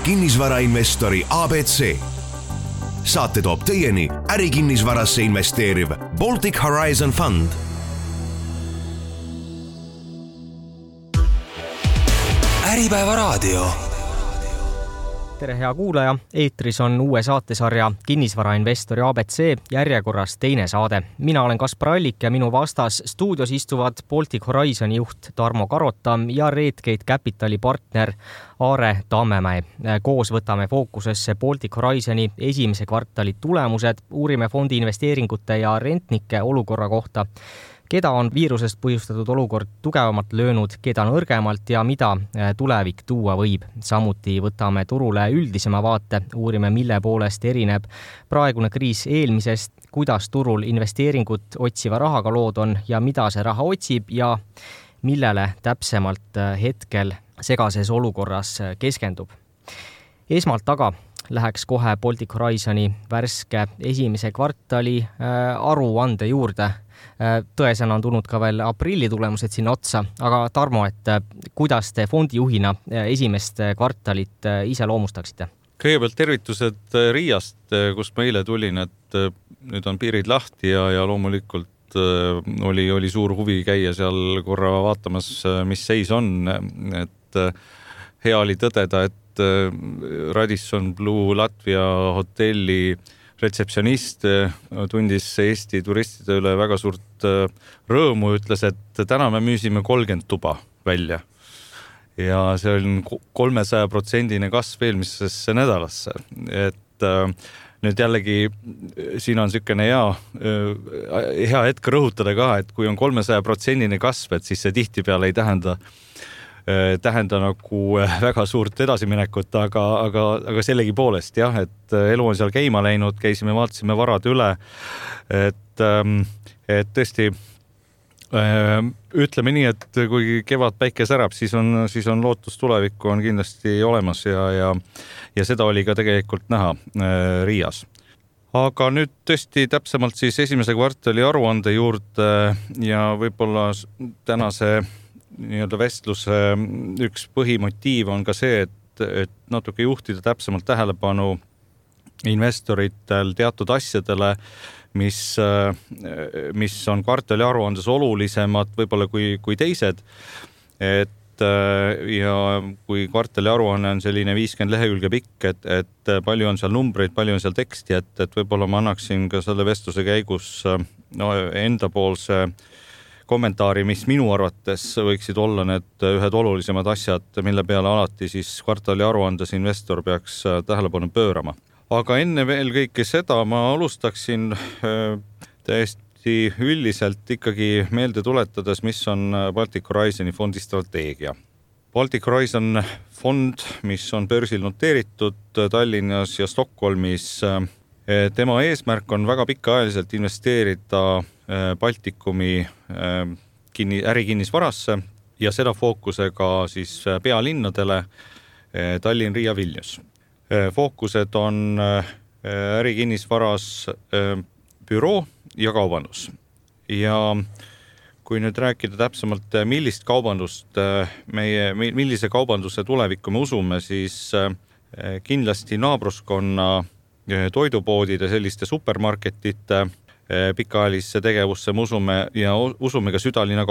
kinnisvarainvestori ABC. Saate toob teieni ärikinnisvarasse investeeriv Baltic Horizon Fund. Äripäeva raadio. Tere hea kuulaja, eetris on uue saatesarja Kinnisvarainvestori ABC järjekorras teine saade. Mina olen Kaspar Allik ja minu vastas stuudios istuvad Baltic Horizoni juht Tarmo Karotam ja Redgate Capitali partner Aare Tammemäe. Koos võtame fookusesse Baltic Horizoni esimese kvartali tulemused, uurime fondi investeeringute ja rentnike olukorra kohta, keda on viirusest põhjustatud olukord tugevamalt löönud, keda nõrgemalt ja mida tulevik tuua võib. Samuti võtame turule üldisema vaate, uurime mille poolest erineb praegune kriis eelmisest, kuidas turul investeeringut otsiva rahaga lood on ja mida see raha otsib ja millele täpsemalt hetkel segases olukorras keskendub. Esmalt aga läheks kohe Baltic Horizoni värske esimese kvartali aruande juurde. Tõesena on tulnud ka veel aprilli tulemused sinna otsa, aga Tarmo, et kuidas te fondijuhina esimest kvartalit ise loomustaksite? Kõigepealt tervitused Riiast, kust ma eile tulin, et nüüd on piirid lahti ja loomulikult oli suur huvi käia seal korra vaatamas, mis seis on. Et hea oli tõdeda, et Radisson Blu Latvia hotelli retseptsionist tundis Eesti turistide üle väga suurt rõõmu, ütles, et täna me müüsime 30 tuba välja. Ja see on 300% kasv eelmisesse nädalasse. Et nüüd jällegi siin on niisugune hea hetk rõhutada ka, et kui on 300% kasv, et siis see tihtipeale ei tähenda nagu väga suurt edasiminekut, aga sellegi poolest jah, et elu on seal käima läinud, käisime, vaatasime varad üle, et tõesti ütleme nii, et kui kevad päike särab, siis on lootus tulevikku on kindlasti olemas ja seda oli ka tegelikult näha Riias. Aga nüüd tõesti täpsemalt siis esimese kvartali aruande juurde ja võib-olla tänase nii-öelda vestluse üks põhimotiiv on ka see, et natuke juhtida täpsemalt tähelepanu investoritel teatud asjadele, mis on kvartali aruandes olulisemad võib-olla kui teised. Ja kui kvartali aruanne on selline 50 lehekülge pikk, et palju on seal numbreid, palju on seal teksti, et võib-olla ma annaksin ka selle vestluse käigus enda poolse kommentaari, mis minu arvates võiksid olla need ühed olulisemad asjad, mille peale alati siis kvartali aruandes investor peaks tähelepanu pöörama. Aga enne veel kõike seda ma alustaksin täiesti üldiselt ikkagi meelde tuletades, mis on Baltic Horizoni fondi strateegia. Baltic Horizon fond, mis on börsil noteeritud Tallinnas ja Stockholmis, tema eesmärk on väga pikaajaliselt investeerida Baltikumi ärikinnisvarasse ja seda fookusega siis pealinnadele Tallinn, Riia, Vilnius. Fookused on ärikinnisvaras büroo ja kaubandus. Ja kui nüüd rääkida täpsemalt, millist kaubandust millise kaubanduse tulevikku me usume, siis kindlasti naabruskonna toidupoodide, selliste supermarketite pikaajalisse tegevusse me usume ka südalinna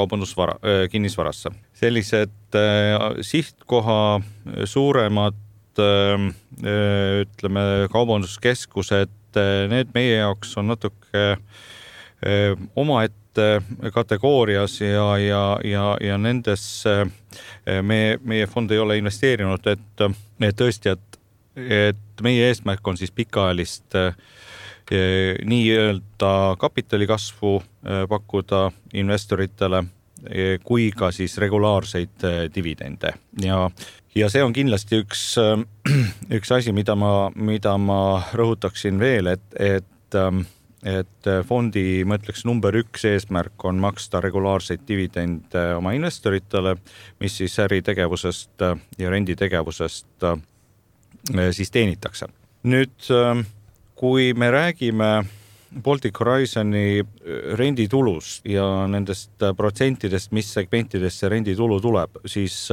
kinnisvarasse. Sellised sihtkoha suuremad ütleme kaubanduskeskused, need meie jaoks on natuke omaette kategoorias ja nendes meie fond ei ole investeerinud, et tõesti, et meie eesmärk on siis pikaajalist nii-öelda kapitali kasvu pakkuda investoritele kui ka siis regulaarseid dividende. Ja see on kindlasti üks asi, mida ma rõhutaksin veel, et fondi, ma ütleks, number 1 eesmärk on maksta regulaarseid dividende oma investoritele, mis siis äritegevusest ja renditegevusest siis teenitakse. Nüüd, kui me räägime Baltic Horizoni renditulust ja nendest protsentidest, mis segmentidest see renditulu tuleb, siis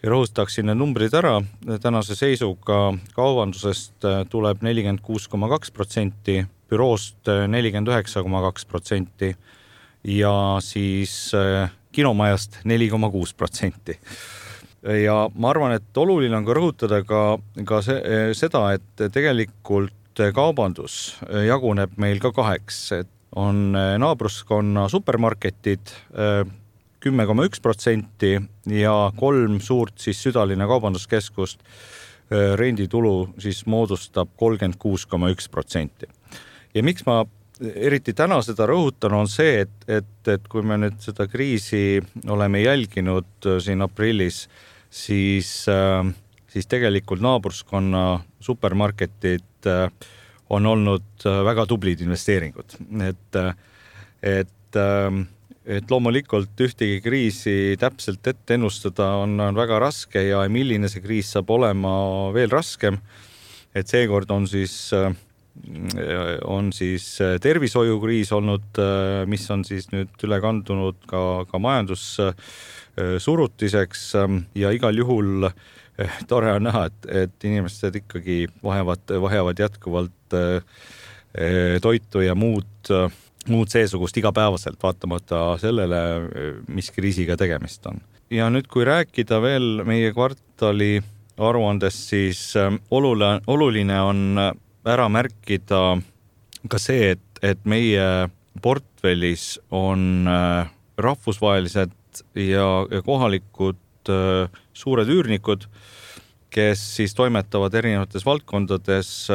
ja rõhustaksin need numbrid ära. Tänase seisuga kaubandusest tuleb 46,2%, büroost 49,2% ja siis kinomajast 4,6%. Ja ma arvan, et oluline on ka rõhutada ka seda, et tegelikult kaubandus jaguneb meil ka kaheks, et on naabruskonna supermarketid 10,1% ja 3 suurt siis südalinna kaubanduskeskust renditulu siis moodustab 36,1%. Ja miks ma eriti täna seda rõhutan, on see, et kui me nüüd seda kriisi oleme jälginud siin aprillis, siis tegelikult naabruskonna supermarketid on olnud väga tublid investeeringud. Et loomulikult ühtegi kriisi täpselt ette ennustada on väga raske ja milline see kriis saab olema veel raskem. Et seekord on siis tervishoiukriis olnud, mis on siis nüüd üle kandunud ka majandussurutiseks ja igal juhul tore on näha, et inimesed ikkagi vajavad jätkuvalt toitu ja muud seesugust igapäevaselt, vaatamata sellele, mis kriisiga tegemist on. Ja nüüd, kui rääkida veel meie kvartali aruandest, siis oluline on ära märkida ka see, et meie portfellis on rahvusvahelised ja kohalikud suured üürnikud, kes siis toimetavad erinevates valdkondades,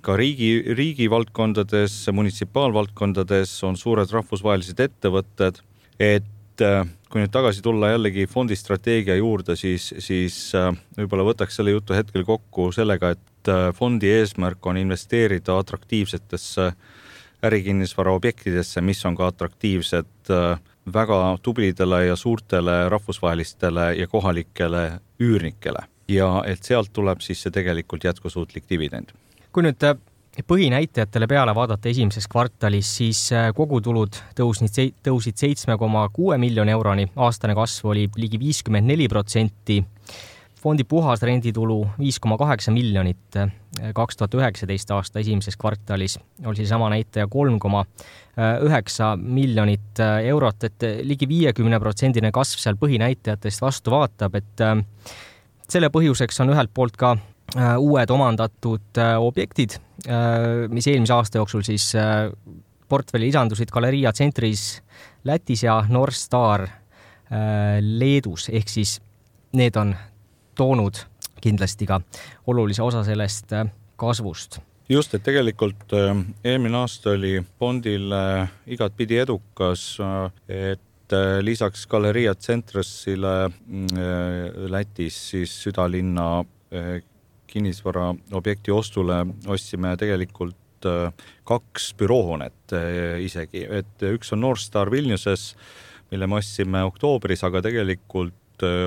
ka riigi valdkondades, munitsipaalvaldkondades on suured rahvusvahelised ettevõtted, et kui nüüd tagasi tulla jällegi fondistrateegia juurde, siis võib-olla võtaks selle jutu hetkel kokku sellega, et fondi eesmärk on investeerida atraktiivsetesse ärikinnisvara objektidesse, mis on ka atraktiivsed väga tublidele ja suurtele rahvusvahelistele ja kohalikele üürnikele. Ja et sealt tuleb siis see tegelikult jätkusuutlik dividend. Kui nüüd põhinäitajatele peale vaadata esimeses kvartalis, siis kogutulud tõusid 7,6 miljoni euroni, aastane kasv oli ligi 54%, fondi puhas renditulu 5,8 miljonit, 2019 aasta esimeses kvartalis oli sama näitaja 3,9 miljonit eurot, et ligi 50% kasv seal põhinäitajatest vastu vaatab, et selle põhjuseks on ühelt poolt ka uued omandatud objektid, mis eelmise aasta jooksul siis portfelli lisandusid Galeria Centris Lätis ja North Star Leedus, ehk siis need on toonud kindlasti ka olulise osa sellest kasvust. Just, et tegelikult eelmine aasta oli fondil igatpidi edukas, et lisaks Galeria Centrisile Lätis siis südalinna kinnisvara objekti ostule ostsime tegelikult 2 büroohoonet isegi, et üks on North Star Vilniuses, mille me ostsime oktoobris, aga tegelikult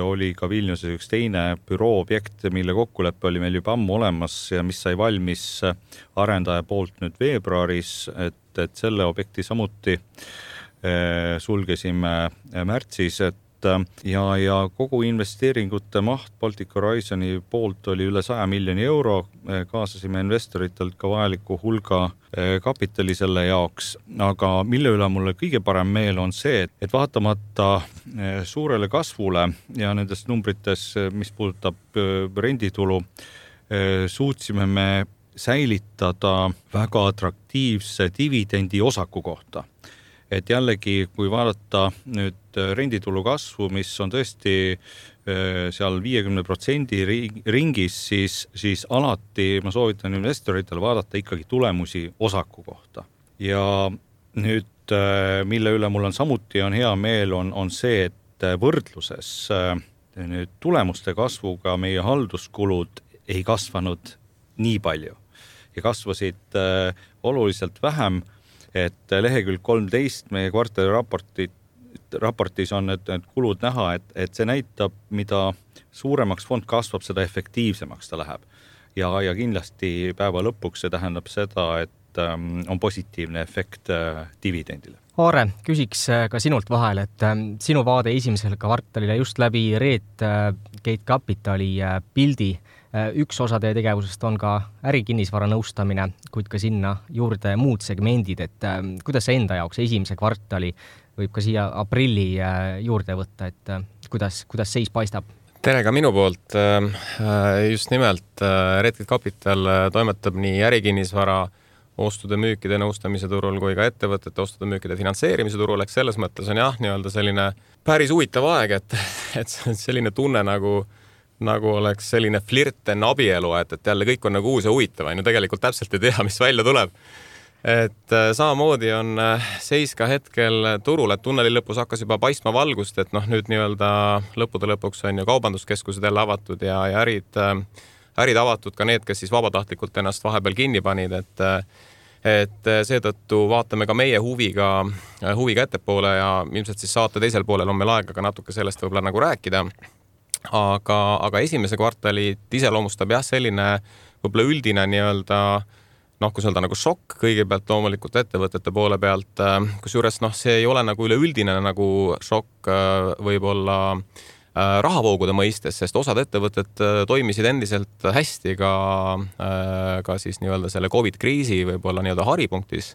oli ka Vilniuses üks teine bürooobjekt, mille kokkulepe oli meil juba ammu olemas ja mis sai valmis arendaja poolt nüüd veebruaris, et selle objekti samuti sulgesime märtsis, ja kogu investeeringute maht Baltic Horizoni poolt oli üle 100 miljoni euro, kaasasime investoritelt ka vajaliku hulga kapitali selle jaoks, aga mille üle mulle kõige parem meel on see, et vaatamata suurele kasvule ja nendest numbrites, mis puudutab renditulu, suutsime me säilitada väga atraktiivse dividendi osaku kohta. Et jällegi, kui vaadata nüüd renditulu kasvu, mis on tõesti seal 50% ringis, siis alati ma soovitan investoritel vaadata ikkagi tulemusi osaku kohta. Ja nüüd, mille üle mul on samuti on hea meel, on see, et võrdluses nüüd tulemuste kasvuga meie halduskulud ei kasvanud nii palju ja kasvasid oluliselt vähem. Et lehekülg 13 meie kvartali raportis on need kulud näha, et see näitab, mida suuremaks fond kasvab, seda efektiivsemaks ta läheb. Ja kindlasti päeva lõpuks see tähendab seda, et on positiivne efekt dividendile. Aare, küsiks ka sinult vahel, et sinu vaade esimesele kvartalile just läbi Gate Capitali pildi. Üks osa teie tegevusest on ka ärikinnisvara nõustamine, kuid ka sinna juurde muud segmendid, et kuidas see enda jaoks esimese kvartali võib ka siia aprilli juurde võtta, et kuidas seis paistab? Tere ka minu poolt. Just nimelt Gate Capital toimetab nii ärikinnisvara ostude müükide nõustamise turul kui ka ettevõtete ostude müükide finantseerimise turul, eks selles mõttes on nii-öelda selline päris huvitav aeg, et selline tunne nagu oleks selline flirt enne abielu, et jälle kõik on nagu uus ja huvitav, tegelikult täpselt ei tea, mis välja tuleb. Et samamoodi on seis ka hetkel turul, et tunneli lõpus hakkas juba paistma valgust, et nüüd nii-öelda lõppude lõpuks on ju kaubanduskeskused jälle avatud ja ärid avatud ka need, kes siis vabatahtlikult ennast vahepeal kinni panid, et seetõttu vaatame ka meie huviga ettepoole ja ilmselt siis saate teisel poolel on meil aega ka natuke sellest võib-olla nagu rääkida. Aga esimese kvartali iseloomustab selline võib-olla üldine nii-öelda kus öelda nagu šokk kõigepealt loomulikult ettevõtete poole pealt, kusjuures see ei ole nagu üleüldine nagu šokk võib-olla rahavoogude mõistes, sest osad ettevõtted toimisid endiselt hästi ka siis nii-öelda selle COVID-kriisi võib-olla nii-öelda haripunktis.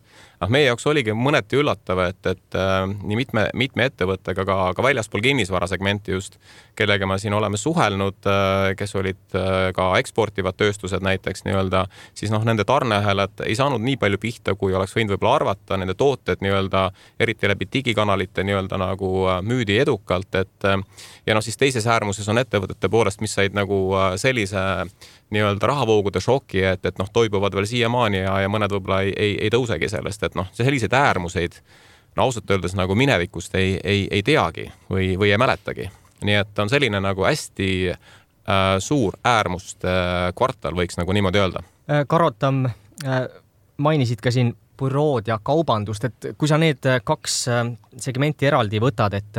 Meie jaoks oligi mõneti üllatav, et nii mitme ettevõttega ka väljaspool kinnisvara segmenti just, kellega me siin oleme suhelnud, kes olid ka eksportivad tööstused näiteks nii-öelda, siis nende tarneahelad ei saanud nii palju pihta, kui oleks võinud võib-olla arvata, nende tooted nii-öelda, eriti läbi digikanalite nii-öelda nagu müüdi edukalt, ja siis teises äärmuses on ettevõtete poolest, mis said nagu sellise nii-öelda rahavoogude šoki, et toibuvad veel siiamaani ja mõned võib-olla ei tõusegi sellest, et selliseid äärmuseid ausalt öeldes nagu minevikust ei teagi või ei mäletagi. Nii et on selline nagu hästi suur äärmuste kvartal, võiks nagu niimoodi öelda. Karotam, mainisid ka siin bürood ja kaubandust, et kui sa need kaks segmenti eraldi võtad, et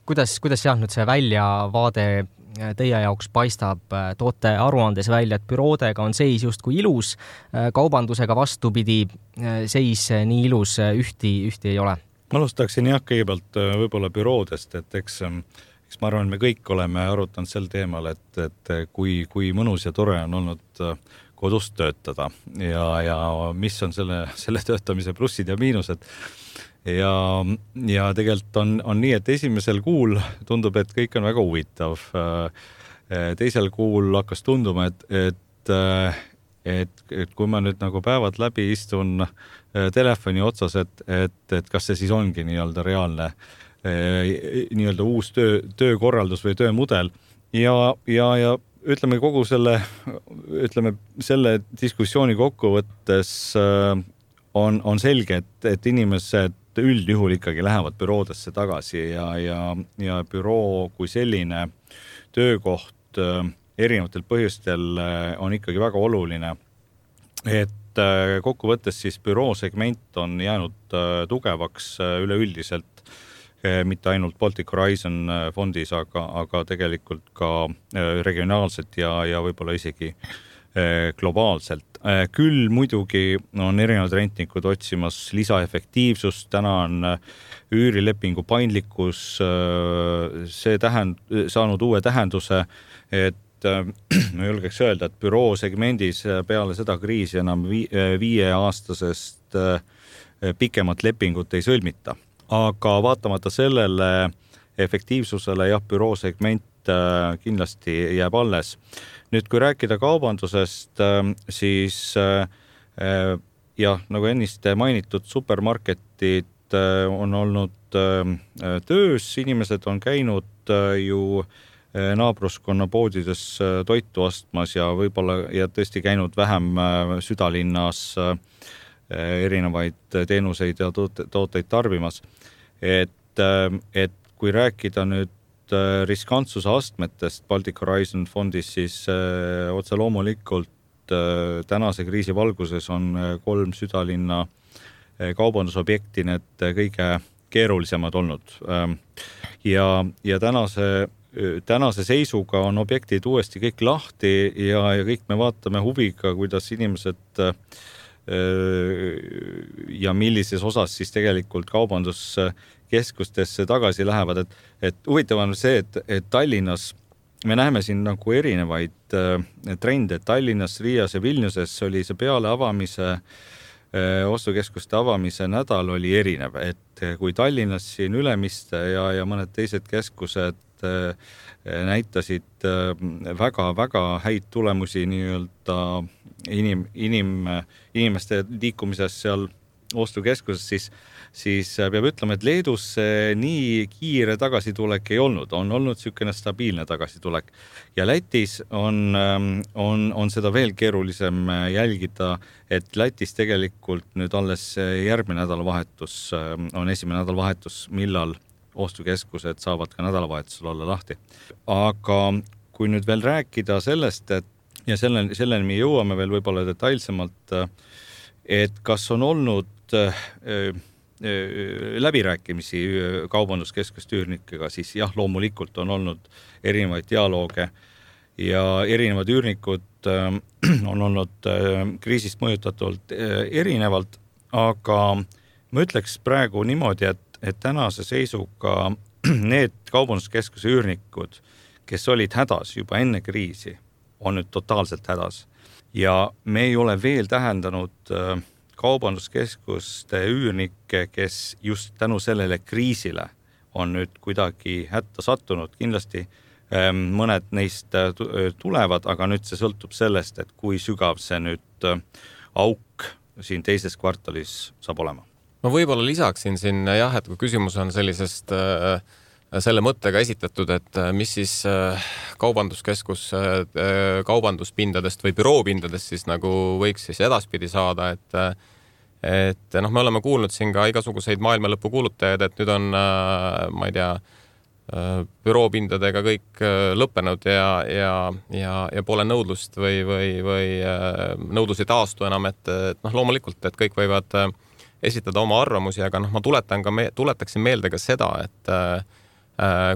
kuidas seal nüüd see väljavaade teie jaoks paistab, toote aruandes välja, et büroodega on seis justkui ilus, kaubandusega vastupidi seis nii ilus ühti ei ole? Ma alustaksin kõigepealt võib-olla büroodest, et eks ma arvan, me kõik oleme arutanud sel teemal, et kui mõnus ja tore on olnud kodust töötada ja mis on selle töötamise plussid ja miinused. Ja tegelikult on nii, et esimesel kuul tundub, et kõik on väga huvitav. Teisel kuul hakkas tunduma, et kui ma nüüd nagu päevad läbi istun telefoni otsas, et kas see siis ongi nii-öelda reaalne nii-öelda uus töökorraldus või töömudel ja ütleme kogu selle diskussiooni kokkuvõttes on selge, et inimesed üldjuhul ikkagi lähevad büroodesse tagasi ja büroo kui selline töökoht erinevatel põhjustel on ikkagi väga oluline. Et kokkuvõttes siis büroo segment on jäänud tugevaks üleüldiselt, mitte ainult Baltic Horizon fondis, aga tegelikult ka regionaalselt ja võib-olla isegi globaalselt. Küll muidugi on erinevad rentnikud otsimas lisaefektiivsust, täna on üürilepingu paindlikkus saanud uue tähenduse, et ma julgeks öelda, et büroo segmendis peale seda kriisi enam 5-aastasest pikemat lepingut ei sõlmita. Aga vaatamata sellele efektiivsusele büroo segment kindlasti jääb alles. Nüüd, kui rääkida kaubandusest, siis nagu ennist mainitud, supermarketid on olnud töös, inimesed on käinud ju naabruskonna poodides toitu ostmas ja võib-olla tõesti käinud vähem südalinnas erinevaid teenuseid ja tooteid tarbimas. Et kui rääkida nüüd riskantsuse astmetest Baltic Horizon fondis, siis otse loomulikult tänase kriisi valguses on 3 südalinna kaubandusobjekti need kõige keerulisemad olnud. Ja tänase seisuga on objektid uuesti kõik lahti ja kõik me vaatame huviga, kuidas inimesed ja millises osas siis tegelikult kaubanduskeskustesse tagasi lähevad, et huvitav on see, et Tallinnas me näeme siin nagu erinevaid trende. Tallinnas, Riias ja Vilniuses oli see peale avamise, ostukeskuste avamise nädal oli erinev, et kui Tallinnas siin Ülemiste ja mõned teised keskused näitasid väga häid tulemusi nii-öelda inimeste liikumises seal ostukeskuses, siis peab ütlema, et Leedus nii kiire tagasitulek ei olnud. On olnud niisugune stabiilne tagasitulek. Ja Lätis on seda veel keerulisem jälgida, et Lätis tegelikult nüüd alles järgmine nädalavahetus on esimene nädalavahetus, millal ostukeskused saavad ka nädalavahetusel olla lahti. Aga kui nüüd veel rääkida sellest, ja selleni me jõuame veel võib-olla detailsemalt, et kas on olnud läbirääkimisi kaubanduskeskuste üürnikega, siis jah, loomulikult on olnud erinevaid dialooge ja erinevad üürnikud on olnud kriisist mõjutatult erinevalt, aga ma ütleks praegu niimoodi, et tänase seisuga need kaubanduskeskuse üürnikud, kes olid hädas juba enne kriisi, on nüüd totaalselt hädas. Ja me ei ole veel tähendanud kaubanduskeskuste üürnikke, kes just tänu sellele kriisile on nüüd kuidagi hätta sattunud. Kindlasti mõned neist tulevad, aga nüüd see sõltub sellest, et kui sügav see nüüd auk siin teises kvartalis saab olema. Ma võib-olla lisaksin siin jah, et kui küsimus on sellisest selle mõttega esitatud, et mis siis kaubanduskeskus kaubanduspindadest või büroopindadest siis nagu võiks siis edaspidi saada, et me oleme kuulnud siin ka igasuguseid maailmalõpu kuulutajaid, et nüüd on, ma ei tea, büroopindadega kõik lõppenud ja pole nõudlust või nõudlus ei taastu enam, et loomulikult, et kõik võivad esitada oma arvamusi, aga ma tuletaksin meelde ka seda, et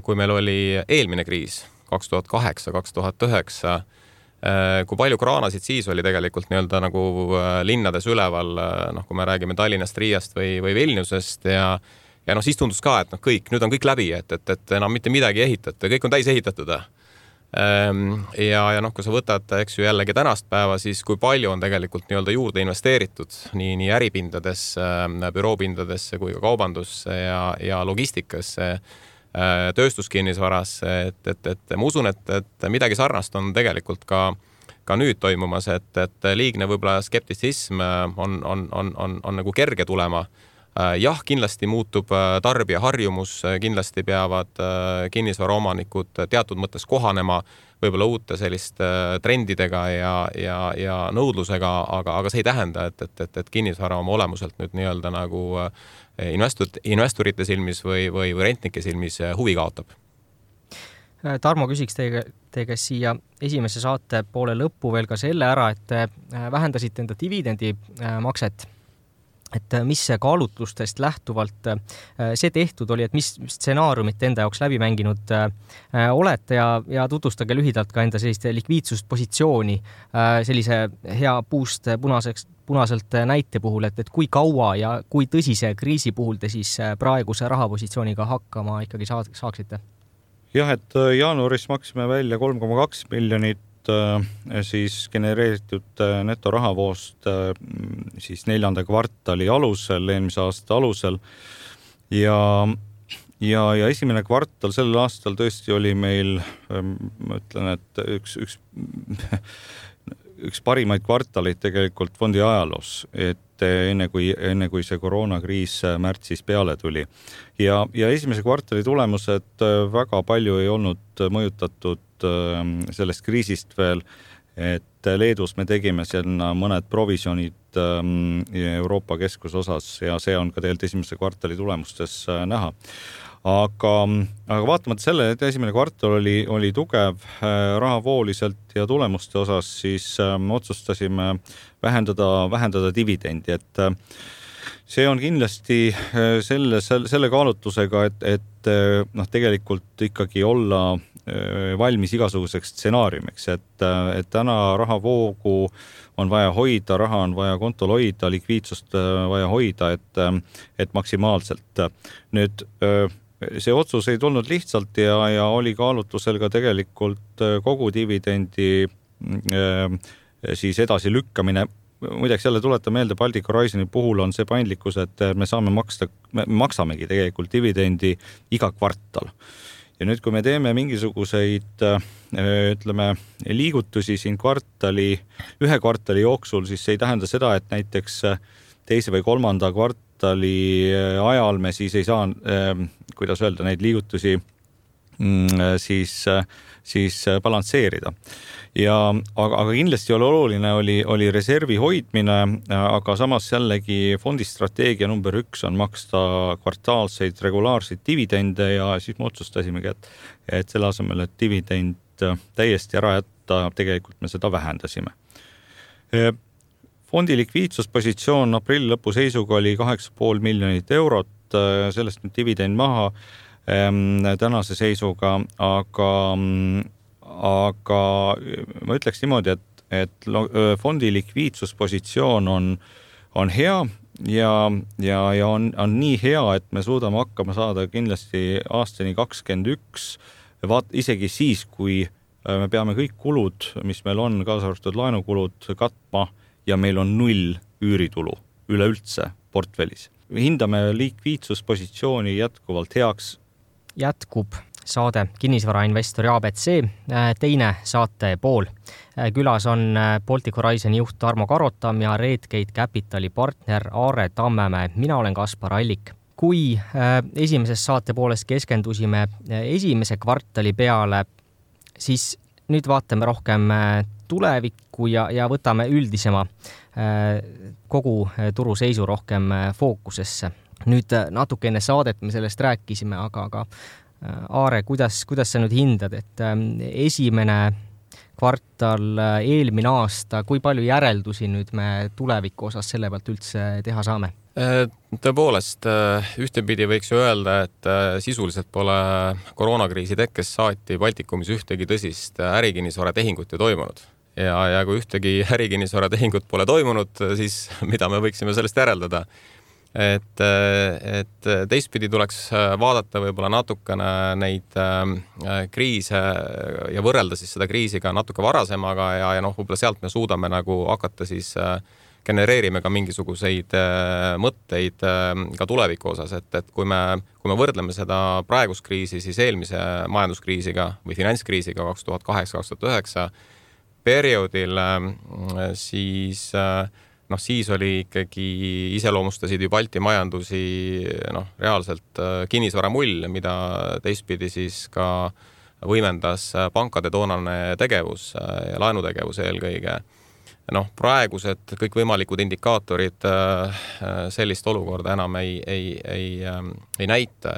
kui meil oli eelmine kriis 2008-2009, kui palju kraanasid siis oli tegelikult nii-öelda nagu linnades üleval, kui me räägime Tallinnast, Riiast või Vilniusest ja siis tundus ka, et nüüd on kõik läbi, et enam mitte midagi ehitate, kõik on täis ehitatud. Ja kui sa võtad, eks ju jällegi tänast päeva, siis kui palju on tegelikult nii-öelda juurde investeeritud nii äripindadesse, büroopindadesse kui ka kaubandusse ja logistikasse, tööstuskinnisvarasse, et ma usun, et midagi sarnast on tegelikult ka nüüd toimumas, et liigne võib-olla skeptisism on nagu kerge tulema. Jah, kindlasti muutub tarbija harjumus, kindlasti peavad kinnisvaraomanikud teatud mõttes kohanema võib-olla uute selliste trendidega ja nõudlusega, aga see ei tähenda, et kinnisvara oma olemuselt nüüd nii-öelda nagu investorite silmis või rentnike silmis huvi kaotab. Tarmo, küsiks teie siia esimese saate poole lõppu veel ka selle ära, et vähendasite enda dividendi makset. Et mis kaalutlustest lähtuvalt see tehtud oli, et mis stsenaariumit enda jaoks läbi mänginud olete ja tutvustage lühidalt ka enda sellist likviidsuspositsiooni sellise hea puust punaselt näite puhul, et kui kaua ja kui tõsise kriisi puhul te siis praeguse rahapositsiooniga hakkama ikkagi saaksite? Jah, et jaanuaris maksime välja 3,2 miljonit siis genereeritud netorahavoost siis 4. kvartali alusel, eelmise aasta alusel ja esimene kvartal sellel aastal tõesti oli meil, ma ütlen, et üks parimaid kvartaleid tegelikult fondi ajaloos, et enne kui see koroonakriis märtsis peale tuli. Ja esimese kvartali tulemused väga palju ei olnud mõjutatud sellest kriisist veel, et Leedus me tegime sinna mõned provisionid Euroopa keskusosas ja see on ka tegelikult esimese kvartali tulemustes näha. Aga vaatamata selle, et esimene kvartal oli tugev rahavooliselt ja tulemuste osas, siis otsustasime vähendada dividendi, see on kindlasti selle kaalutlusega, et tegelikult ikkagi olla valmis igasuguseks stsenaariumiks, et täna rahavoogu on vaja hoida, raha on vaja kontol hoida, likviidsust vaja hoida, et maksimaalselt. Nüüd see otsus ei tulnud lihtsalt ja oli kaalutlusel ka tegelikult kogu dividendi siis edasi lükkamine. Muideks jälle tuleta meelde, Baltic Horizoni puhul on see paindlikkus, et me maksamegi tegelikult dividendi iga kvartal. Ja nüüd, kui me teeme mingisuguseid, ütleme, liigutusi siin ühe kvartali jooksul, siis see ei tähenda seda, et näiteks teise või kolmanda kvartali ajal me siis ei saa, kuidas öelda, neid liigutusi siis balansseerida. Aga kindlasti oli reservi hoidmine, aga samas jällegi fondi strateegia number 1 on maksta kvartaalseid regulaarseid dividende ja siis me otsustasimegi, et selle asemel, et dividend täiesti ära jätta, tegelikult me seda vähendasime. Fondi likviidsuspositsioon aprilli lõpu seisuga oli 8,5 miljonit eurot, sellest nüüd dividend maha tänase seisuga, aga ma ütleks niimoodi, et fondi likviidsuspositsioon on hea ja on nii hea, et me suudame hakkama saada kindlasti aastani 2021, isegi siis, kui me peame kõik kulud, mis meil on, kaasa arvatud laenukulud katma ja meil on 0 üüritulu üleüldse portfellis. Hindame likviidsuspositsiooni jätkuvalt heaks. Jätkub saade Kinnisvarainvestori ABC, teine saate pool. Külas on Baltic Horizoni juht Tarmo Karotam ja Redgate Capitali partner Aare Tammemäe. Mina olen Kaspar Allik. Kui esimeses saate pooles keskendusime esimese kvartali peale, siis nüüd vaatame rohkem tulevikku ja võtame üldisema kogu turu seisu rohkem fookusesse. Nüüd natuke enne saadet me sellest rääkisime, aga Aare, kuidas sa nüüd hindad, et esimene kvartal eelmine aasta, kui palju järeldusi nüüd me tuleviku osas selle pealt üldse teha saame? Tõepoolest, ühtepidi võiks ju öelda, et sisuliselt pole koroonakriisi tekkes saati Baltikumis ühtegi tõsist ärikinnisvara tehingut ei toimunud. Ja kui ühtegi ärikinnisvara tehingut pole toimunud, siis mida me võiksime sellest järeldada? Et teistpidi tuleks vaadata võib-olla natukene neid kriise ja võrrelda siis seda kriisiga natuke varasemaga ja võib-olla sealt me suudame nagu hakata siis genereerime ka mingisuguseid mõtteid ka tuleviku osas, et kui me võrdleme seda praegust kriisi siis eelmise majanduskriisiga või finantskriisiga 2008-2009 perioodil, siis oli ikkagi iseloomustasid ju Balti majandusi reaalselt kinnisvaramull, mida teistpidi siis ka võimendas pankade toonane tegevus ja laenutegevus eelkõige. Praegused kõik võimalikud indikaatorid sellist olukorda enam ei näita,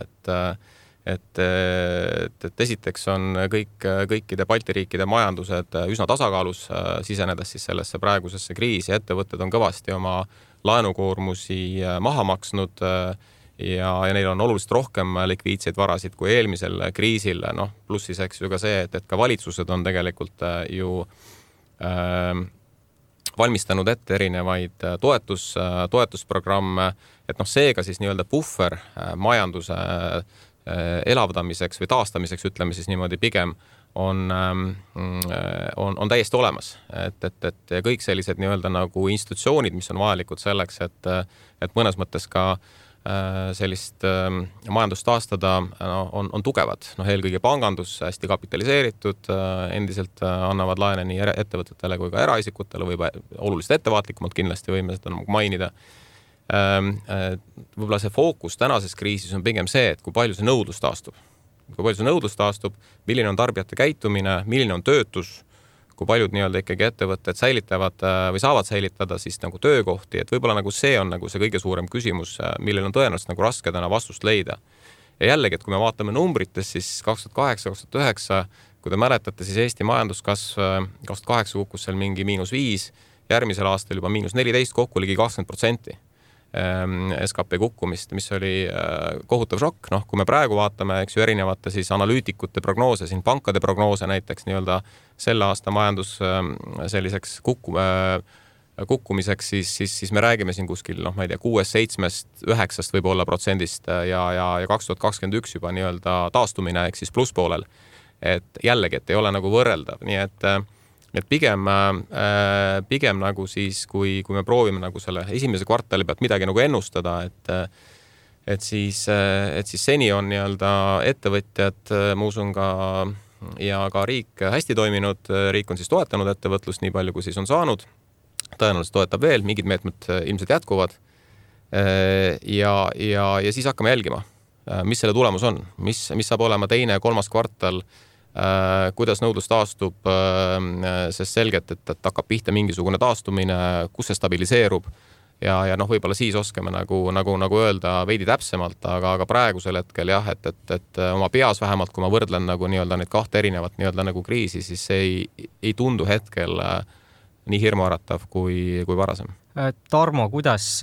et esiteks on kõikide Balti riikide majandused üsna tasakaalus sisenedes siis sellesse praegusesse kriisi. Ettevõtted on kõvasti oma laenukoormusi maha maksnud ja neil on oluliselt rohkem likviidseid varasid kui eelmisel kriisil. Plussiseks ju ka see, et ka valitsused on tegelikult ju valmistanud ette erinevaid toetusprogramme, et seega siis nii-öelda puhver majanduse elavdamiseks või taastamiseks, ütleme siis niimoodi pigem, on täiesti olemas. Et kõik sellised nii-öelda nagu institutsioonid, mis on vajalikud selleks, et mõnes mõttes ka sellist majandust taastada on tugevad. Eelkõige pangandus hästi kapitaliseeritud, endiselt annavad laene nii ettevõtetele kui ka eraisikutele või oluliselt ettevaatlikumalt kindlasti võime seda mainida. Võib-olla see fookus tänases kriisis on pigem see, et kui palju see nõudlus taastub, milline on tarbijate käitumine, milline on töötus, kui paljud nii-öelda ikkagi ettevõtted säilitavad või saavad säilitada siis nagu töökohti, et võib-olla nagu see on nagu see kõige suurem küsimus, millel on tõenäoliselt nagu raske täna vastust leida. Ja jällegi, et kui me vaatame numbrites, siis 2008-2009, kui te mäletate, siis Eesti majanduskasv 2008 kukkus seal mingi -5, järgmisel aastal juba -14, kokku ligi 20%. SKP kukkumist, mis oli kohutav šokk. Kui me praegu vaatame, eks ju, erinevate siis analüütikute prognoose, siin pankade prognoose näiteks nii-öelda selle aasta majandus selliseks kukkumiseks, siis me räägime siin kuskil, ma ei tea, 6-7-9 võib-olla protsendist ja 2021 juba nii-öelda taastumine ehk siis plusspoolel. Et jällegi, et ei ole nagu võrreldav, nii et pigem nagu siis, kui me proovime nagu selle esimese kvartali pealt midagi nagu ennustada, et siis seni on nii-öelda ettevõtjad, ma usun ja ka riik hästi toiminud, riik on siis toetanud ettevõtlust nii palju, kui siis on saanud, tõenäoliselt toetab veel, mingid meetmed ilmselt jätkuvad ja siis hakkame jälgima, mis selle tulemus on, mis saab olema teine, kolmas kvartal, kuidas nõudlus taastub, sest selgelt, et hakkab pihta mingisugune taastumine, kus see stabiliseerub ja võib-olla siis oskame nagu öelda veidi täpsemalt, aga praegusel hetkel jah, et oma peas vähemalt, kui ma võrdlen nagu nii-öelda neid kahte erinevat nii-öelda nagu kriisi, siis see ei tundu hetkel nii hirmuäratav kui varasem. Tarmo, kuidas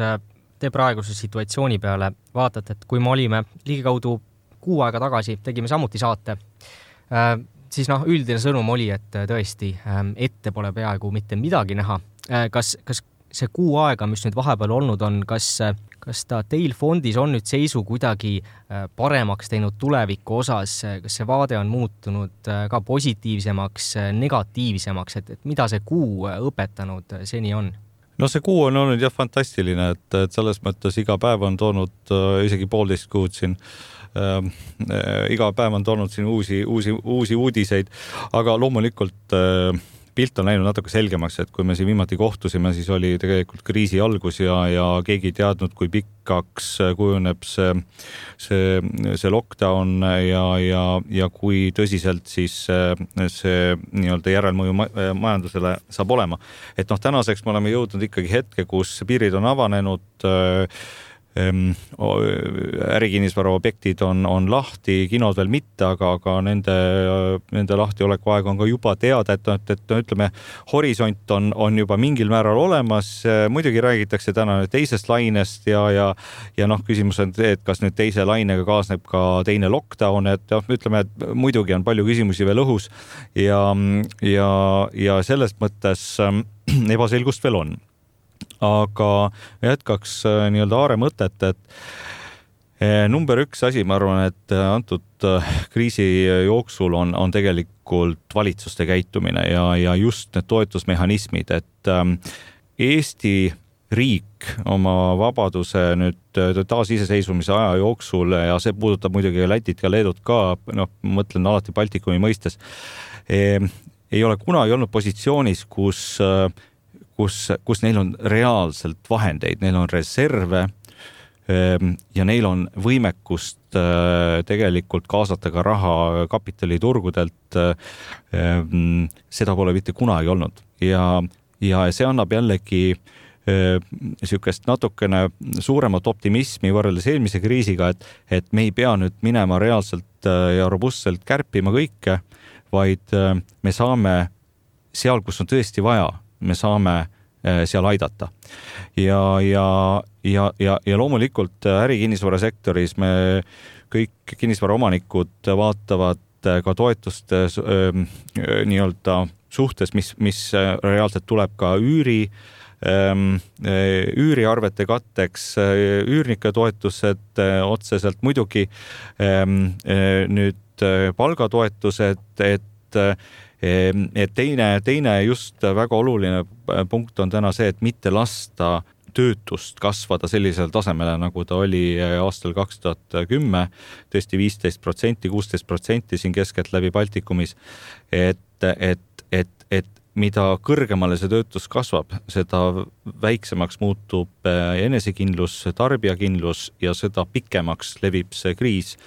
te praeguse situatsiooni peale vaatate, et kui me olime ligikaudu 6 aega tagasi, tegime samuti saate, siis üldine sõnum oli, et tõesti ette pole peaaegu mitte midagi näha. Kas see 6 aega, mis nüüd vahepeal olnud on, kas ta teil fondis on nüüd seisu kuidagi paremaks teinud tuleviku osas, kas see vaade on muutunud ka positiivsemaks, negatiivsemaks, et mida see kuu õpetanud seni on? No see kuu on olnud jah fantastiline, et selles mõttes iga päev on toonud isegi 1,5 kuud siin. Iga päev on toonud siin uusi uudiseid, aga loomulikult pilt on läinud natuke selgemaks, et kui me siin viimati kohtusime, siis oli tegelikult kriisi algus ja keegi ei teadnud, kui pikaks kujuneb see lockdown ja kui tõsiselt siis see nii-öelda järelmõju majandusele saab olema. Et tänaseks me oleme jõudnud ikkagi hetke, kus piirid on avanenud, ärikinnisvara objektid on lahti, kinod veel mitte, aga nende lahtioleku aeg on ka juba teada, et ütleme, horisont on juba mingil määral olemas. Muidugi räägitakse täna teisest lainest ja küsimus on see, et kas nüüd teise lainega kaasneb ka teine lockdown, et ütleme, et muidugi on palju küsimusi veel õhus ja selles mõttes ebaselgust veel on. Aga jätkaks nii-öelda Aare mõtet, et number 1 asi, ma arvan, et antud kriisi jooksul on tegelikult valitsuste käitumine ja just need toetusmehhanismid, et Eesti riik oma vabaduse nüüd taasiseseisvumise aja jooksul ja see puudutab muidugi Lätit ja Leedut ka, mõtlen alati Baltikumi mõistes, ei ole kunagi olnud positsioonis, kus neil on reaalselt vahendeid, neil on reserve ja neil on võimekust tegelikult kaasata ka raha kapitaliturgudelt. Seda pole mitte kunagi olnud ja see annab jällegi niisugust natukene suuremat optimismi võrreldes eelmise kriisiga, et me ei pea nüüd minema reaalselt ja robustselt kärpima kõike, vaid me saame seal, kus on tõesti vaja, me saame seal aidata. Ja loomulikult ärikinnisvarasektoris me kõik kinnisvaraomanikud vaatavad ka toetuste nii-öelda suhtes, mis reaalselt tuleb ka üüriarvete katteks, üürnike toetused otseselt muidugi, nüüd palgatoetused, et teine just väga oluline punkt on täna see, et mitte lasta töötust kasvada sellisel tasemele, nagu ta oli aastal 2010, tõesti 15%, 16% siin keskelt läbi Baltikumis, et mida kõrgemale see töötus kasvab, seda väiksemaks muutub enesekindlus, tarbijakindlus ja seda pikemaks levib see kriis,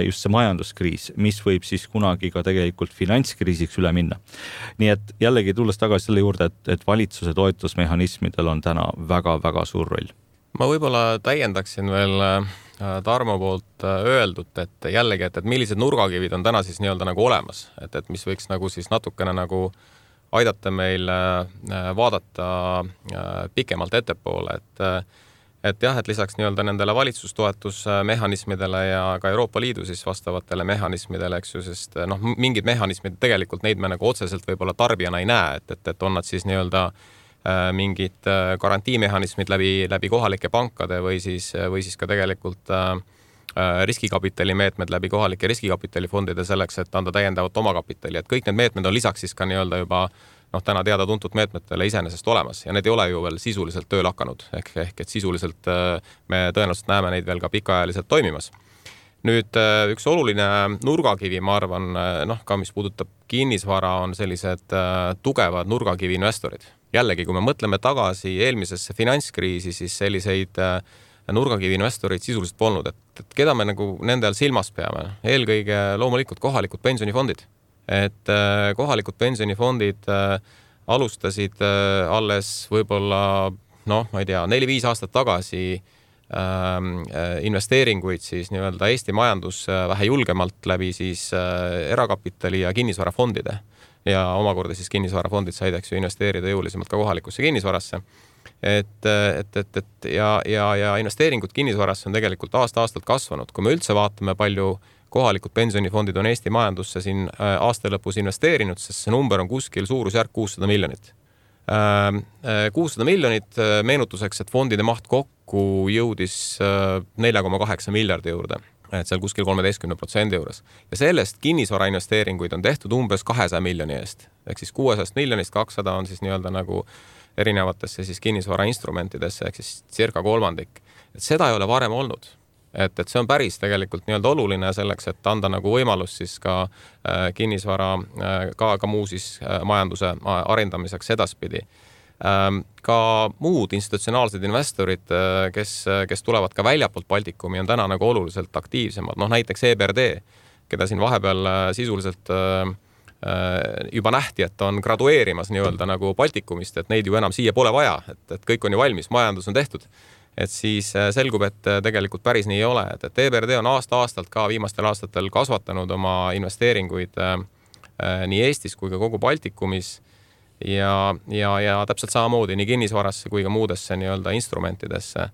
just see majanduskriis, mis võib siis kunagi ka tegelikult finantskriisiks üle minna. Nii et jällegi tulles tagasi selle juurde, et valitsuse toetusmehhanismidel on täna väga-väga suur roll. Ma võib-olla täiendaksin veel Tarmo poolt öeldud, et jällegi, et millised nurgakivid on täna siis nii-öelda nagu olemas, et mis võiks nagu siis natukene nagu aidata meil vaadata pikemalt ettepoole, et jah, et lisaks nii-öelda nendele valitsustoetusmehhanismidele ja ka Euroopa Liidu siis vastavatele mehhanismidele, eks ju, sest mingid mehhanismid tegelikult neid me nagu otseselt võib-olla tarbijana ei näe, et on nad siis nii-öelda mingid garantiimehhanismid läbi kohalike pankade või siis ka tegelikult riskikapitali meetmed läbi kohalike riskikapitalifondide selleks, et anda täiendavat omakapitali, et kõik need meetmed on lisaks siis ka nii-öelda juba täna teada-tuntud meetmetele iseenesest olemas ja need ei ole ju veel sisuliselt tööl hakanud, ehk et sisuliselt me tõenäoliselt näeme neid veel ka pikaajaliselt toimimas. Nüüd üks oluline nurgakivi, ma arvan, ka mis puudutab kinnisvara, on sellised tugevad nurgakivi investorid. Jällegi, kui me mõtleme tagasi eelmisesse finantskriisi, siis selliseid nurgakivi investorid sisuliselt polnud, et keda me nagu nendel silmas peame. Eelkõige loomulikult kohalikud pensionifondid. Et kohalikud pensionifondid alustasid alles võib-olla, ma ei tea, 4-5 aastat tagasi investeeringuid siis nii-öelda Eesti majandus vähe julgemalt läbi siis erakapitali ja kinnisvarafondide ja omakorda siis kinnisvarafondid said investeerida jõulisemalt ka kohalikusse kinnisvarasse. Ja investeeringud kinnisvarasse on tegelikult aasta-aastalt kasvanud. Kui me üldse vaatame, palju kohalikud pensionifondid on Eesti majandusse siin aasta lõpus investeerinud, sest see number on kuskil suurusjärk 600 miljonit. 600 miljonit meenutuseks, et fondide maht kokku jõudis 4,8 miljardi juurde, et seal kuskil 13% juures. Ja sellest kinnisvara investeeringuid on tehtud umbes 200 miljoni eest. Ehk siis 600 miljonist 200 on siis nii-öelda nagu erinevatesse siis kinnisvara instrumentidesse, ehk siis circa kolmandik. Et seda ei ole varem olnud. Et see on päris tegelikult nii-öelda oluline selleks, et anda nagu võimalus siis ka kinnisvara, ka muu siis majanduse arendamiseks edaspidi. Ka muud institutsionaalsed investorid, kes tulevad ka väljapoolt Baltikumi, on täna nagu oluliselt aktiivsemad. Näiteks EBRD, keda siin vahepeal sisuliselt juba nähti, et on gradueerimas nii-öelda nagu Baltikumist, et neid ju enam siia pole vaja, et kõik on ju valmis, majandus on tehtud. Et siis selgub, et tegelikult päris nii ei ole. Et EBRD on aasta-aastalt ka viimastel aastatel kasvatanud oma investeeringuid nii Eestis kui ka kogu Baltikumis ja täpselt samamoodi nii kinnisvarasse kui ka muudesse nii-öelda instrumentidesse.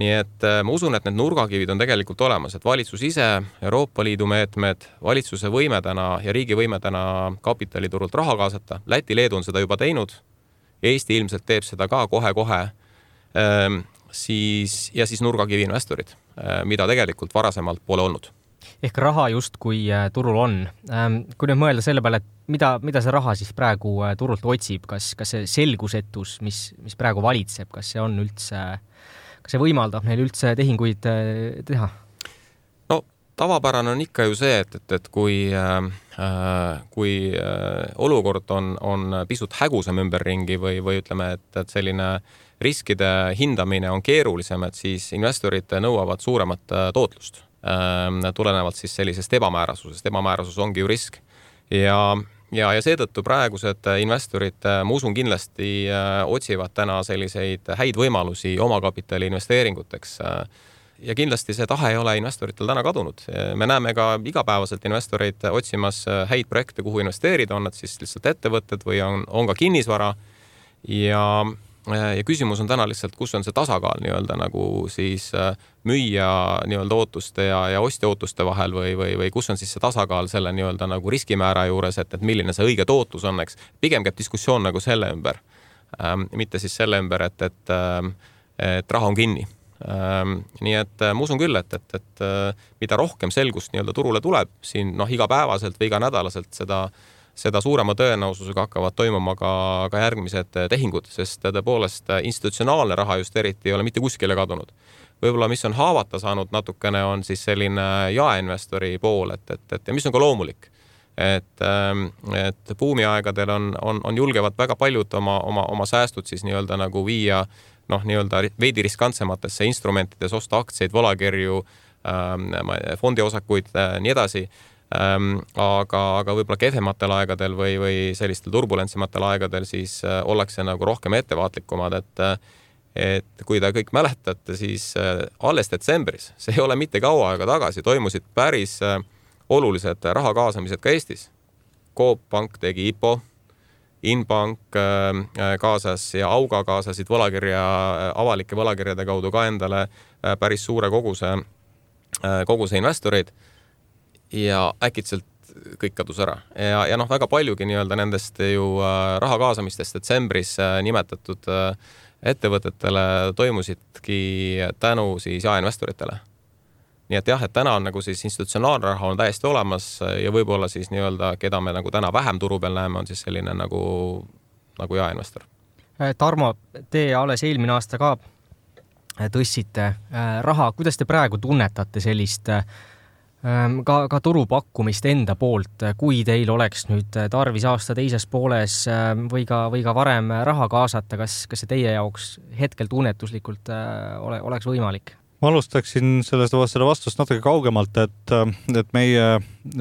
Nii et ma usun, et need nurgakivid on tegelikult olemas, et valitsus ise, Euroopa Liidu meetmed, valitsuse võime täna ja riigi võime täna kapitaliturult raha kaasata. Läti, Leedu on seda juba teinud. Eesti ilmselt teeb seda ka kohe-kohe. Siis nurgakivi investorid, mida tegelikult varasemalt pole olnud. Ehk raha just kui turul on. Kui nüüd mõelda selle peale, et mida see raha siis praegu turult otsib, kas see selgusetus, mis praegu valitseb, kas see on üldse, kas see võimaldab neil üldse tehinguid teha? Tavapärane on ikka ju see, et kui olukord on pisut hägusam ümberringi või ütleme, et selline riskide hindamine on keerulisem, et siis investorid nõuavad suuremat tootlust tulenevalt siis sellisest ebamäärasusest. Ebamäärasus ongi ju risk. Ja seetõttu praegused investorid, ma usun kindlasti, otsivad täna selliseid häid võimalusi omakapitali investeeringuteks. Ja kindlasti see tahe ei ole investoritel täna kadunud. Me näeme ka igapäevaselt investoreid otsimas häid projekte, kuhu investeerida, on nad siis lihtsalt ettevõtted või on ka kinnisvara. Ja küsimus on täna lihtsalt, kus on see tasakaal nii-öelda nagu siis müüja nii-öelda ootuste ja ostja ootuste vahel või kus on siis see tasakaal selle nii-öelda nagu riskimäära juures, et milline see õige tootlus on, eks. Pigem käib diskussioon nagu selle ümber, mitte siis selle ümber, et raha on kinni. Nii et ma usun küll, et mida rohkem selgust nii-öelda turule tuleb siin igapäevaselt või iga nädalaselt, seda suurema tõenäosusega hakkavad toimuma ka järgmised tehingud, sest tõepoolest institutsionaalne raha just eriti ei ole mitte kuskile kadunud. Võib-olla mis on haavata saanud natukene on siis selline jaeinvestori pool, et mis on ka loomulik. Et buumiaegadel on julgevad väga paljud oma säästud siis nii-öelda nagu viia nii-öelda veidi riskantsematesse instrumentides, osta aktsiaid, volakirju, fondiosakuid, nii edasi. Aga võib-olla kehvematel aegadel või sellistel turbulentsematel aegadel siis ollakse nagu rohkem ettevaatlikumad, et kui te kõik mäletate, siis alles detsembris, see ei ole mitte kaua aega tagasi, toimusid päris olulised raha kaasamised ka Eestis. Coop Pank tegi IPO, Inbank kaasas ja Auga kaasasid avalike võlakirjade kaudu ka endale päris suure koguse investoreid ja äkitselt kõik kadus ära. Ja väga paljugi nii-öelda nendest ju raha kaasamistest detsembris nimetatud ettevõtetele toimusidki tänu siis jaeinvestoritele. Nii et jah, et täna on nagu siis institutsionaalne raha on täiesti olemas ja võib-olla siis nii-öelda, keda me nagu täna vähem turu peal näeme, on siis selline nagu jaeinvestor. Tarmo, te alles eelmine aasta ka tõstsite raha. Kuidas te praegu tunnetate sellist ka turupakkumist enda poolt, kui teil oleks nüüd tarvis aasta teises pooles või ka varem raha kaasata, kas see teie jaoks hetkel tunnetuslikult oleks võimalik? Ma alustaksin selle vastust natuke kaugemalt, et meie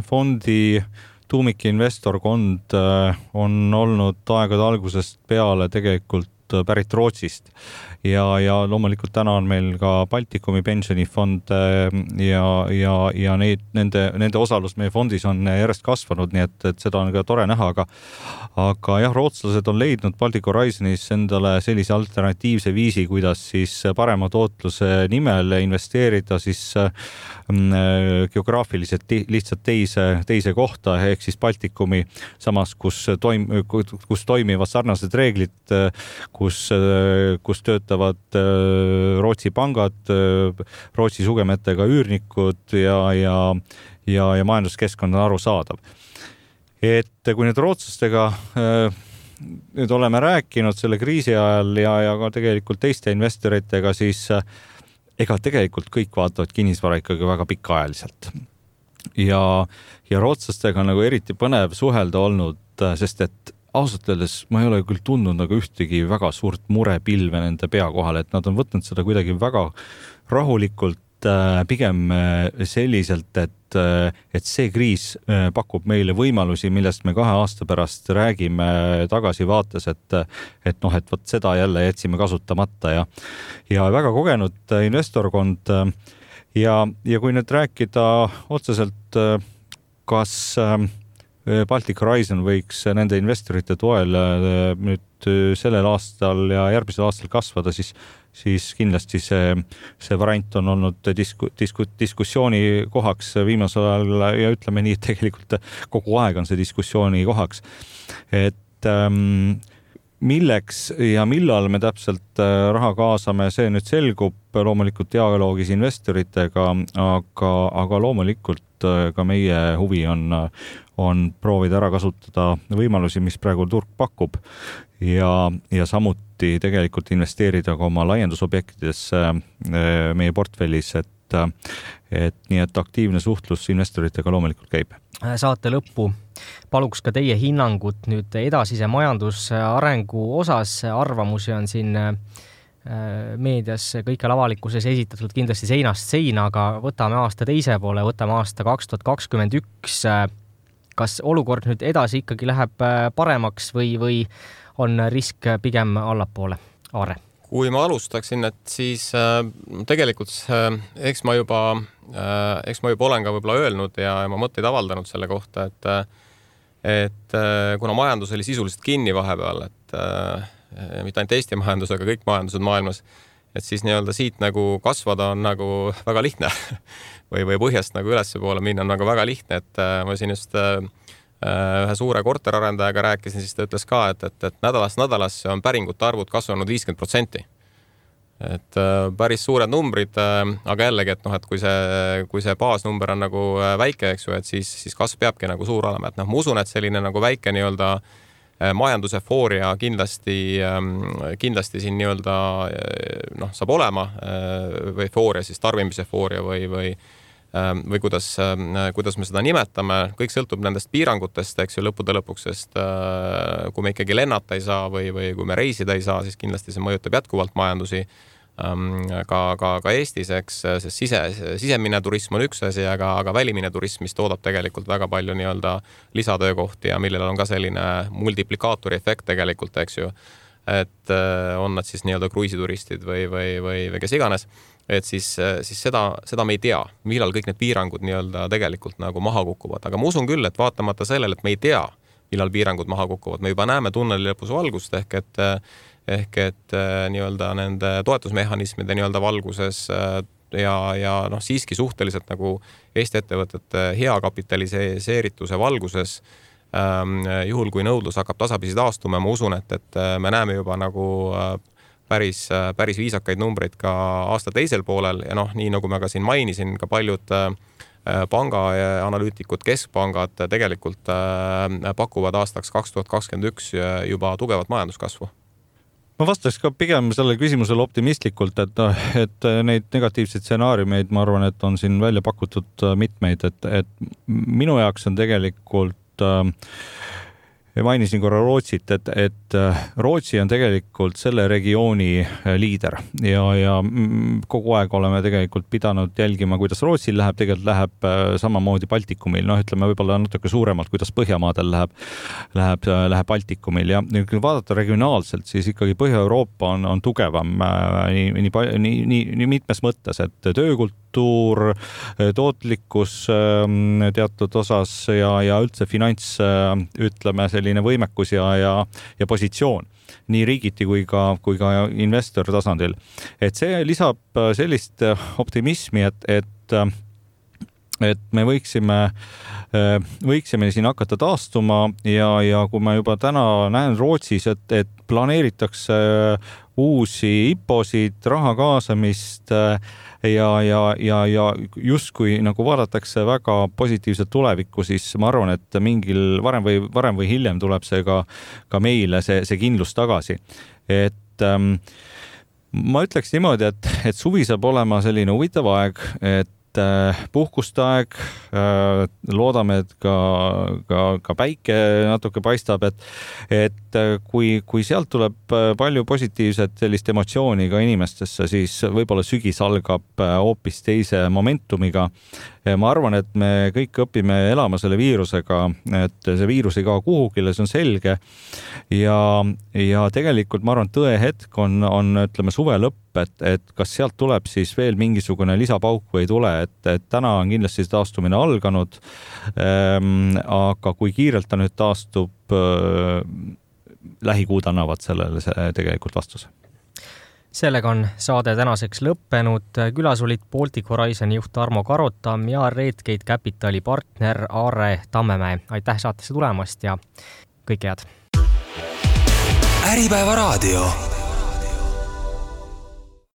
fondi tuumikinvestorkond on olnud aegade algusest peale tegelikult pärit Rootsist ja loomulikult täna on meil ka Baltikumi pensionifond ja nende osalus meie fondis on järjest kasvanud, nii et seda on ka tore näha, aga jah, rootslased on leidnud Baltic Horizonis endale sellise alternatiivse viisi, kuidas siis parema tootluse nimel investeerida siis geograafiliselt lihtsalt teise kohta, ehk siis Baltikumi samas, kus toimivad sarnased reeglid, kus töötavad Rootsi pangad, Rootsi sugemetega üürnikud ja majanduskeskkond on arusaadav. Et kui nüüd rootslastega nüüd oleme rääkinud selle kriisi ajal ja ka tegelikult teiste investoritega, siis ega tegelikult kõik vaatavad kinnisvara ikkagi väga pikaajaliselt. Ja rootslastega on nagu eriti põnev suhelda olnud, sest et ausalt öeldes ma ei ole küll tundnud nagu ühtegi väga suurt murepilve nende pea kohal, et nad on võtnud seda kuidagi väga rahulikult, pigem selliselt, et see kriis pakub meile võimalusi, millest me 2 aasta pärast räägime tagasivaates, et vot seda jälle jätsime kasutamata ja väga kogenud investorkond ja kui nüüd rääkida otseselt, kas Baltic Horizon võiks nende investorite toel nüüd sellel aastal ja järgmisel aastal kasvada, siis kindlasti see variant on olnud diskussiooni kohaks viimasel ajal ja ütleme nii, et tegelikult kogu aeg on see diskussiooni kohaks. Et milleks ja millal me täpselt raha kaasame, see nüüd selgub loomulikult dialoogis investoritega, aga loomulikult ka meie huvi on proovida ära kasutada võimalusi, mis praegu turg pakub ja samuti tegelikult investeerida ka oma laiendusobjektidesse meie portfellis, et nii et aktiivne suhtlus investoritega loomulikult käib. Saate lõppu paluks ka teie hinnangut nüüd edasise majandusarengu osas. Arvamusi on siin meedias kõikjal avalikkuses esitatud kindlasti seinast seina, aga võtame aasta teise poole, võtame aasta 2021. Kas olukord nüüd edasi ikkagi läheb paremaks või on risk pigem allapoole? Aare? Kui ma alustaksin, et siis tegelikult eks ma juba olen ka võib-olla öelnud ja ma mõtteid avaldanud selle kohta, et kuna majandus oli sisuliselt kinni vahepeal, et mitte ainult Eesti majandus, aga kõik majandused maailmas, et siis nii-öelda siit nagu kasvada on nagu väga lihtne või põhjast nagu ülesse poole minna on nagu väga lihtne, et ma siin just ühe suure korterarendajaga rääkisin, siis ta ütles ka, et nädalasse on päringute arvud kasvanud 50%. Et päris suured numbrid, aga jällegi, et kui see baasnumber on nagu väike, eks ju, et siis kasv peabki nagu suur olema, et ma usun, et selline nagu väike nii-öelda majandusefooria kindlasti siin nii-öelda saab olema või efooria, siis tarbimisefooria või kuidas me seda nimetame, kõik sõltub nendest piirangutest, eks ju, lõppude lõpuks, sest kui me ikkagi lennata ei saa või kui me reisida ei saa, siis kindlasti see mõjutab jätkuvalt majandusi ka Eestis, eks, sest sisemine turism on üks asi, aga välimine turism, mis toodab tegelikult väga palju nii-öelda lisatöökohti ja millel on ka selline multiplikaatori efekt tegelikult, eks ju, et on nad siis nii-öelda kruiisituristid või kes iganes, et siis seda me ei tea, millal kõik need piirangud nii-öelda tegelikult nagu maha kukuvad, aga ma usun küll, et vaatamata sellele, et me ei tea, millal piirangud maha kukuvad. Me juba näeme tunneli lõpus valgust ehk et nii-öelda nende toetusmehhanismide nii-öelda valguses ja siiski suhteliselt nagu Eesti ettevõtete hea kapitaliseerituse valguses juhul, kui nõudlus hakkab tasapisi taastuma, ma usun, et me näeme juba nagu päris viisakaid numbreid ka aasta teisel poolel ja nii nagu ma ka siin mainisin, ka paljud pangaanalüütikud, keskpangad tegelikult pakuvad aastaks 2021 juba tugevat majanduskasvu. Ma vastaks ka pigem sellele küsimusele optimistlikult, et neid negatiivseid stsenaariumeid, ma arvan, et on siin välja pakutud mitmeid, et minu jaoks on tegelikult mainisin korra Rootsit, et Rootsi on tegelikult selle regiooni liider ja kogu aeg oleme tegelikult pidanud jälgima, kuidas Rootsil läheb, tegelikult läheb samamoodi Baltikumil, ütleme võib-olla natuke suuremalt, kuidas Põhjamaadel läheb Baltikumil ja kui vaadata regionaalselt, siis ikkagi Põhja-Euroopa on tugevam nii mitmes mõttes, et töökultuur, tootlikkus teatud osas ja üldse finants, ütleme, selline võimekus ja positsioon nii riigiti kui ka investor tasandil. Et see lisab sellist optimismi, et me võiksime siin hakata taastuma ja kui ma juba täna näen Rootsis, et planeeritakse uusi IPO-sid, raha kaasamist ja justkui nagu vaadatakse väga positiivselt tulevikku, siis ma arvan, et mingil varem või hiljem tuleb see ka meile see kindlus tagasi. Et ma ütleks niimoodi, et suvi saab olema selline huvitav aeg, et puhkuste aeg, loodame, et ka päike natuke paistab, et kui sealt tuleb palju positiivset sellist emotsiooni ka inimestesse, siis võib-olla sügis algab hoopis teise momentumiga. Ma arvan, et me kõik õpime elama selle viirusega, et see viirus ei kao kuhugile, see on selge ja tegelikult ma arvan, tõehetk on ütleme suve lõpp, et kas sealt tuleb siis veel mingisugune lisapauk või ei tule, et täna on kindlasti taastumine alganud, aga kui kiirelt ta nüüd taastub, lähikuud annavad sellele tegelikult vastuse. Sellega on saade tänaseks lõppenud. Külas olid Baltic Horizoni juht Tarmo Karotam ja Redgate Capitali partner Aare Tammemäe. Aitäh saatesse tulemast ja kõike head! Äripäeva raadio.